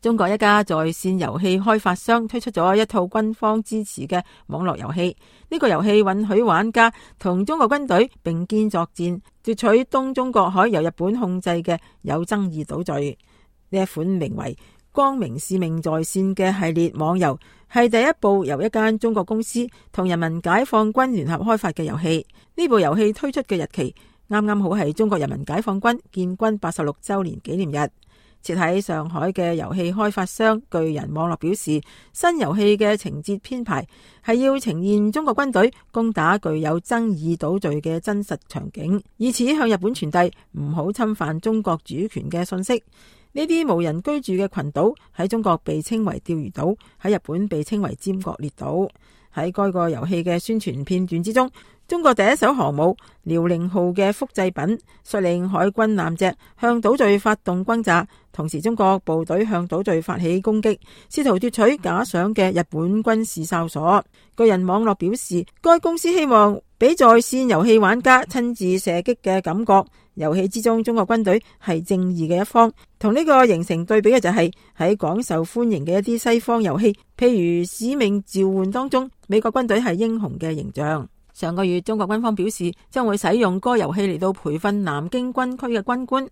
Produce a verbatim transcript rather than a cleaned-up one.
中國一家在線遊戲開發商推出咗一套軍方支持嘅網絡遊戲。呢個遊戲允許玩家同中國軍隊並肩作戰，奪取東中國海由日本控制嘅有爭議島嶼。呢一款名為《光明使命在線》嘅系列網遊係第一部由一間中國公司同人民解放軍聯合開發嘅遊戲。呢部遊戲推出嘅日期啱啱好係中國人民解放軍建軍八十六周年紀念日。設喺上海嘅遊戲開發商巨人網絡表示，新遊戲嘅情節編排係要呈現中國軍隊攻打具有爭議島嶼嘅真實場景，以此向日本傳遞唔好侵犯中國主權嘅信息。呢啲無人居住嘅群島喺中國被稱為釣魚島，喺日本被稱為尖閣列島。喺該個遊戲嘅宣傳片段之中，中國第一艘航母遼寧號嘅複製品率領海軍艦隻向島嶼發動轟炸，同時中國部隊向島嶼發起攻擊，試圖奪取假想嘅日本軍事哨所。巨人網絡表示，該公司希望俾在線遊戲玩家親自射擊嘅感覺。遊戲之中，中國軍隊係正義嘅一方，同呢個形成對比嘅就係喺廣受歡迎嘅一啲西方遊戲，譬如《使命召喚》當中，美國軍隊係英雄嘅形象。上個月，中國軍方表示將會使用該遊戲嚟到培訓南京軍區嘅軍官。